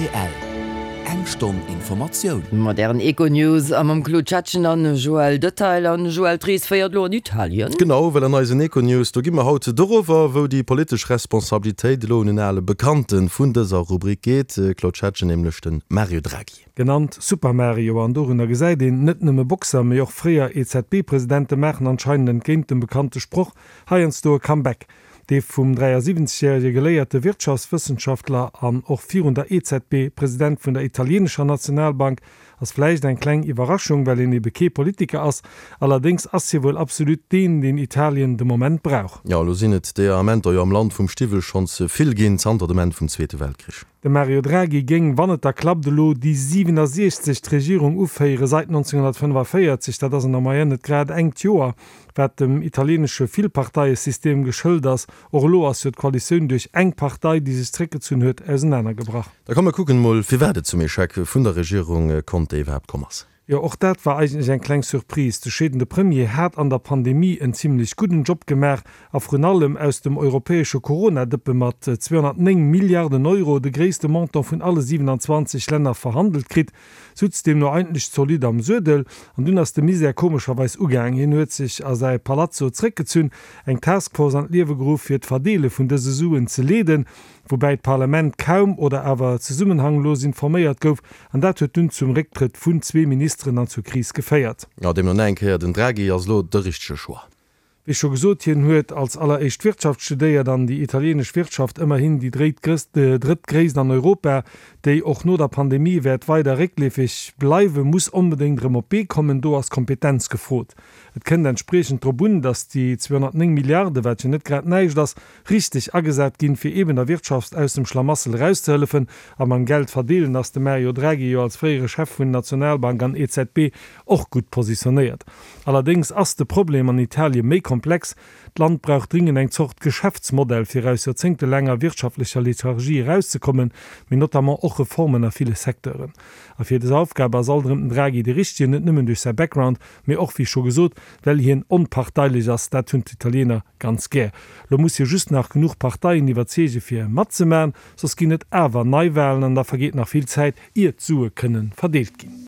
Rtl, Eng Stonn Informatioun. Mat ären Econews a mam Claude Schettgen an Joël Detail. An Joël, d'Rees féiert elo an Italien. Genau, well an eisen Econews, do gi mer haut dorower, wou déi politesch Responsabilitéit elo un en ale Bekannte vun dëser Rubrik geet, Claude Schettgen, nämlech de Mario Draghi. Genannt Super Mario, an dorunner gesäit een, net nëmme Boxer, mee och fréier EZB-Presidente maachen anscheinend entgéint dem bekannte Sproch heiansdo e Comeback. Dee vum 73 järege geléierte Wirtschaftswëssenschaftler an och virun der EZB President vun der italienescher Nationalbank ass vläicht eng kleng Iwwerraschung, well een ebe kee Politiker ass. Allerdéngs ass hie wuel absolut deen, deen Italien de Moment brauch. Jo, elo sinn et deeër Amenter jo am Land vum Stiwwel schonns vill ginn, zanter dem Enn vum Zweete Weltkrich. De Mario Draghi géing, wann et da klappt, elo déi 67. Regierung uféiere seit 1945. Dat ass an der Moyenne net grad engt Joer, wat dem italienesche Villparteiesystem geschëlt ass. Och elo ass jo d'Koalitioun duerch eng Partei, déi sech zréckgezunn huet, ausenanergebrach. Da komm mer kucken emol, firwat et zum Echec vun der Regierung Conte iwwerhaapt komm ass. Jo, och dat war eigentlech eng kleng Surprise. De scheedende Premier hat an der Pandemie en zimlech gudden Job gemaach a vrun allem aus dem europäesche Corona-Dëppe mat 209 Milliarden Euro de gréisste Montant vun alle 27 Länner verhandelt kritt, sutz deemno eigentlech zolidd am Suedel. An dunn ass de Misär komescherweis ugaang. Hien huet sech a säi Palazzo zréckgezunn, eng Taskforce an d'Liewe geruff, fir d'Verdeele vun dëse Suen ze leeden. woubäi d'Parlament kaum oder awer zesummenhanglos informéiert gouf, an dat huet dunn zum Récktrëtt vun zwee Ministeren an zur Kris geféiert. Jo, deemno nach eng Kéier, den Draghi ass elo de richtege Choix. Wéi scho gesot, hien huet als alleréischt Wirtschaft studéiert an déi italienesch Wirtschaft, ëmmerhin déi drëttgréisst an Europa, déi och no der Pandemie wäert weider réckleefeg bleiwen, muss onbedéngt erëm op d'Bee kommen. Do ass Kompetenz gefrot. Et kënnt entspriechend drop un, datt déi 209 Milliarde, wat jo net grad näischt ass, richteg agesat ginn, fir eeben der Wirtschaft aus dem Schlamassel erauszehëllefen. A mam Geld verdeelen ass de Mario Draghi jo als fréiere Chef vun Nationalbank an EZB och gutt positionéiert. Allerdéngs ass de Problem an Italie méi komplex. D'Land brauch dringend eng Zort Geschäftsmodell, fir aus joerzéngtelaanger wirtschaftlecher Lethargie erauszekommen, mee notamment och Reformen a ville Secteuren. A fir des Aufgab ass alt erëm den Draghi de Richtegen, net nëmmen duerch säi Background, mee och, wéi scho gesot, well hien onparteilech ass. Dat hunn d'Italiener ganz gär. Lo muss hie just nach genuch Parteien iwwerzeege fir matzemaen, soss ginn et awer Neiwahlen an da vergeet nach vill Zäit, ier d'Sue kënne verdeelt ginn.